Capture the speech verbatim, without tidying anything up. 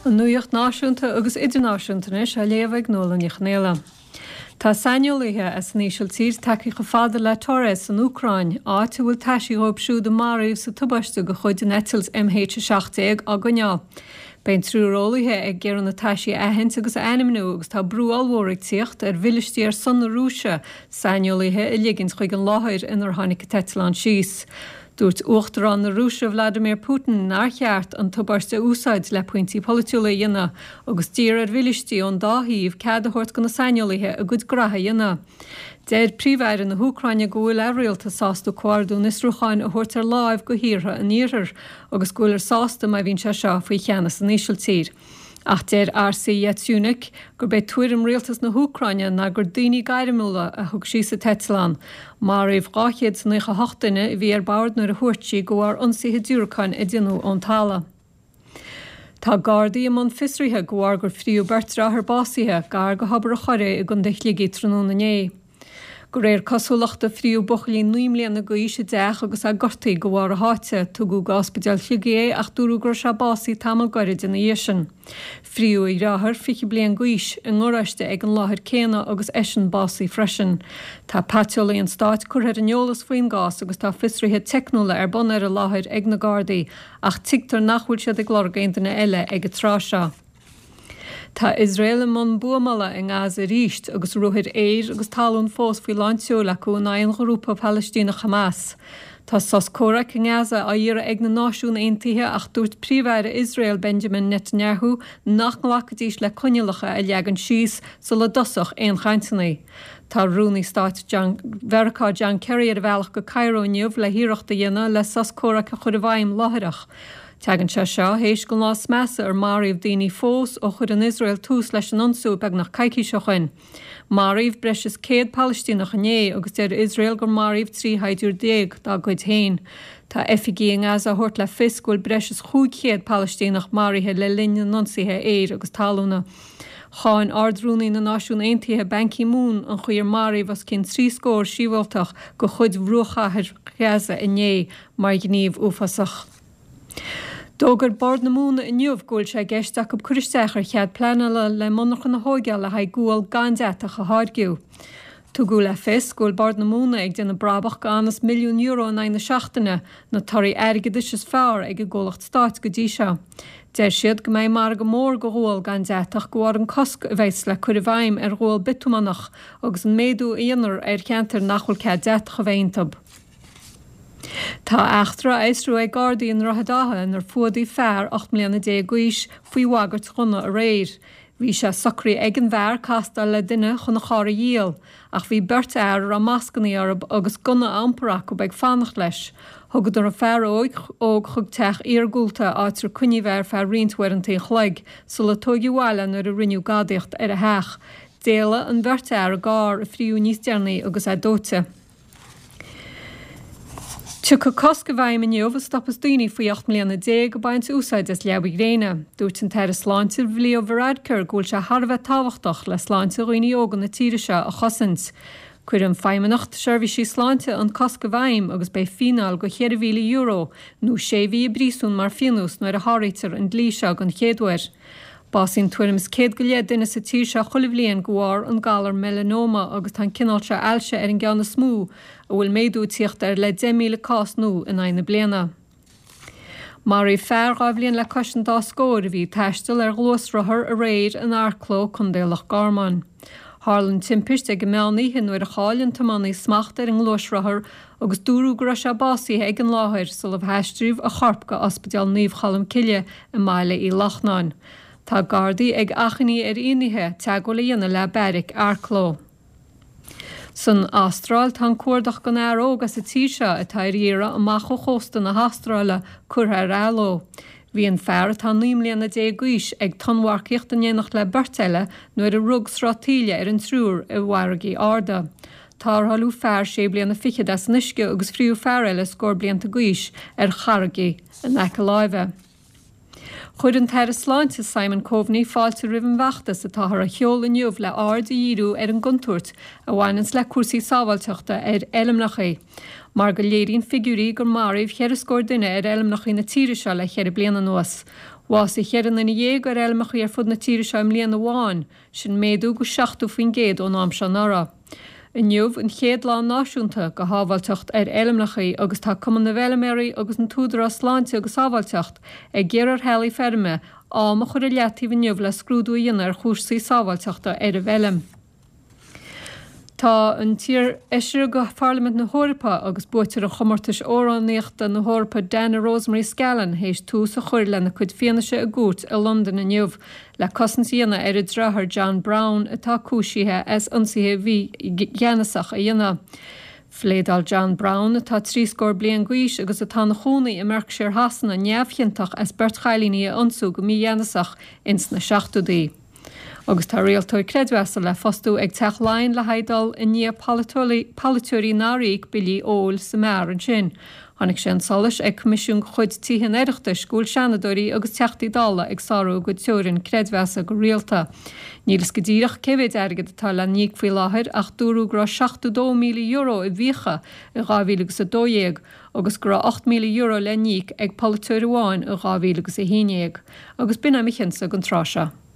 An nuacht náisiúnta agus idirnáisiúnta anois á léamh ag Nuala Ní Chonaola. Tá saineolaithe as an Ísiltír tagtha chomh fada le Torez san Úcráin, áit a bhfuil taisí dhóibh siúd a maraíodh sa tubaiste de chuid an eitilt M H a seacht déag á gcoinneáil. Beidh an triúr eolaithe ag iarraidh na taisí a aithint agus a ainmniú agus tá brú ollmhór ag tíocht ar mhilístí ar son na Rúise saineolaithe a ligint chuig an láthair inar tháinig an t-eitleán síos. Dúirt Uachtarán na Rúise Vladimir Putin nár cheart an tubaiste a úsáid le pointí polaitiúla a dhéanamh agus d'iarr ar mhilístí ón dá thaobh cead a thabhairt do na saineolaithe a gcuid gnoithe a dhéanamh. Deir Príomh-Aire na hÚcráine go bhfuil a rialtas sásta comhordú an fhiosrúcháin a thabhairt ar láimh go thíortha an iarthair agus go bhfuil sásta má bhíonn sé seo faoi cheannas an Ísiltír. Ach deir Arseniy Yatsenyuk gurb é tuairim rialtas na hÚcráine ná gur daoine gairmiúla a thug síos an t-eitleán. Maraíodh dhá chéad is nócha hocht duine a bhí ar bord nuair a thuairt sí de bharr ionsaithe diúracáin a déanadh ón talamh. Tá Gardaí i mbun fiosraithe de bharr gur fríodh beirt deartháir básaithe gar go hObar an Choraigh i gContae Shligigh tráthnóna inné. De réir cosúlachta fríodh buachaillín naoi mbliana d'aois i dteach agus é gortaithe de bharr a sháite, tugadh go ospidéal Shligigh é ach dúradh go raibh sé básaithe tamall gairid ina dhiaidh sin. Fríodh a dheartháir fiche bliain d'aois i ngaráiste ag an láthair céanna agus eisean básaithe freisin. Tá paiteolaí an stáit curtha ar an eolas faoin gcás agus tá fiosruithe teicniúla ar bun ar an láthair ag na Gardaí ach tuigtear nach bhfuil siad ag lorg aon duine eile ag an tráth seo. Tá Iosrael i mbun buamála i nGaza arís agus ruathair aeir agus talún fós faoi lán tseoil acu in aghaidh an ghrúpa Palaistíneach Hamas. Tá sos comhraic i nGaza á iarraidh ag na Náisiúin Aontaithe ach dúirt Príomh-Aire Iosrael Benjamin Netanyahu nach nglacfaidís le coinníollacha a leagan síos sula dtosódh aon chainteanna. Tá rúnaí stáit John, Mheiriceá John Kerry ar a bhealach go Cairo inniu le hiarracht a dhéanamh le sos comhraic a chur i bhfeidhm láithreach. Tagann sé seo théis don lá is measa ar maraíodh daoine fós ó chuir an Iosrael tús leis an ionsaí beagnach coicís ó shin. Maraíodh breis is céad Palaistíneach inné agus deir Iosrael gur maraíodh trí shaighdiúir déag dá gcuid féin. Tá oifigigh i nGaza á thabhairt le fios go bhfuil breis is cúig chéad Palaistíneach maraithe le linn na n-ionsaithe aeir agus talúna. Cháin Ard-Rúnaí na Náisiún Aontaithe Ban Ki-moon an chaoi ar maraíodh os cionn trí scór sibhialtach de chuid Bhruachchathair Ghaza inné mar ghníomh uafásach. D'fhógair Bord na Móna inniu go bhfuil sé i gceist acu cur isteach ar chead pleanála le monarchan a thógáil le haghaidh gual gan deatach a tháirgeadh. Tugadh le fios go bhfuil Bord na Móna ag déanamh brabach go milliún euro in aghaidh na seachtaine, na torthaí airgeadais is fearr ag an gcomhlacht stáit go dtí seo. Deir siad go mbeidh margadh mór do ghual gan deatach de bharr an cosc a bheas le cur i bhfeidhm ar ghual biotumánach agus an méadú a dhéanfar ar cheantair nach bhfuil cead deatach a bheith iontu. Tá eachtra á fhiosrú ag Gardaí i nDroichead Átha inar fuadaíodh fear ocht mbliana déag d'aois faoi bhagairt ghunna aréir. Bhí sé socraithe ag an bhfear castáil le duine chun a charr a dhíol, ach bhí beirt fhear a raibh mascanna orthu agus gunna á iompar acu ag fanacht leis. Thugadar an fear óg óg chuig teach iargúlta áit ar coinníodh é ar feadh roinnt uaireanta an chloig, sula tóigeadh abhaile nuair a rinneadh gadaíocht ar a theach. D'éalaigh an bheirt fhear i gcarr a fríodh níos deireanaí agus é dóite. Tiocfaidh cosc i bhfeidhm inniu a stopfas daoine faoi ocht mbliana déag ag baint úsáid as leaba ghréine. Dúirt an tAire Sláinte Leo Varadkar go bhfuil sé thar a bheith tábhachtach le sláinte dhaoine óga na tíre seo a chosaint. Cuireann Feidhmeannacht Seirbhísí Sláinte an cosc i bhfeidhm agus beidh fíneáil go cheithre mhíle euro nó sé mhí i bpríosún mar phionós nuair a sháraítear an dlí seo den chéad uair. Básaíonn tuairim is céad go leith duine sa tír seo chuile bhliain de bharr an galar melanoma agus tá an cineál seo ailse ar an gceann is mó a bhfuil méadú ag tíocht air le deich míle cás nua in aghaidh na bliana. Maraíodh fear dhá bhliain le cois an dá scór a bhí ag taisteal ar ghluaisrothar aréir in Arklow, Contae Loch Garman. Tharla an timpist ag an meán oíche nuair a chaill an tiománaí smacht ar an ngluaisrothar agus dúradh go raibh sé básaithe ag an láthair sula aistríodh a chorp go Ospidéal Naomh Cholm Cille i mBaile Uí Locnáin. Tá Gardaí ag achainí ar fhinnéithe teagmháil a dhéanamh le beairic Arklow. San Astráil tá an cuardach don fhear óg as an tír seo atá ar iarraidh amach ó chósta na hAstráile curtha ar athló. Bhí an fear atá naoi mbliana déag d'aois ag tonnmharcaíocht in éineacht le beirt eile nuair a rug sruth taoille ar an triúr i bhfarraigí arda. Tarrtháladh fear sé bliana fichead as an uisce agus fríodh fear eile scór blianta d'aois ar charraigí in aice láimhe. Chuir an tAire Sláinte Simon Coveney fáilte roimh an bhfeachtas atáthar a sheoladh inniu le aird a dhíriú ar an gcontúirt a bhaineanns le cúrsaí sábháilteachta ar fheilmeacha. Mar go léiríonn figiúirí gur maraíodh ceithre scór duine ar fheilmeacha na tíre seo le ceithre bliana anuas. Bhásaigh ceithre nduine dhéag ar fheilmeacha ar fud na tíre seo i mbliana amháin, sin méadú go seachtó faoin gcéad ón am seo anuraidh. Inniu an chéad lá náisiúnta go shábháilteacht ar fheilmeacha agus tá Cumann na bhFeilméaraí agus an tÚdarás Sláinte agus Sábháilteacht ag iarraidh ar theaghlaigh feirme am a chur i leataobh inniu le scrúdú a dhéanamh ar chúrsaí sábháilteachta ar an bhfeilm. Tá an t-iarfheisire go Pharlaimint na hEorpa agus buaiteoir an chomórtais amhránaíochta na hEorpa Dana Rosemary Scallon théis tús a chur lena cuid fianaise i gcúirt i Londain inniu le cosaint a dhéanamh ar a deartháir John Brown atá cúisithe as ionsaithe mhígheanasach a dhéanamh. Phléadáil John Brown atá trí scór bliain d'aois agus atá ina chónaí i mBerkshire Shasana neamhchiontach as beirt chailíní a ionsú go mígheanasach ins na seachtóidí. Agus tá rialtóir creidmheasa le fostú ag Teach Laighean le haghaidh dul i ndiaidh polaiteoirí nár íoc billí óil sa mbeár ansin. Tháinig sé chun solais ag Coimisiún de chuid Tithe an Oireachtais go bhfuil seanadóirí agus teachtaí dála ag sárú a gcuid teorann creidmheasa go rialta. Níl fhios go díreach cé mhéid airgead atá le n-íoc faoi láthair ach dúradh go raibh seachtó dó míle euro i bhfiacha i dhá mhíle agus a dó dhéag agus go raibh ocht míle euro le n-íoc ag polaiteoir amháin i dhá mhíle agus a haon dhéag. Agus b'in é mo chinnse don tráth seo.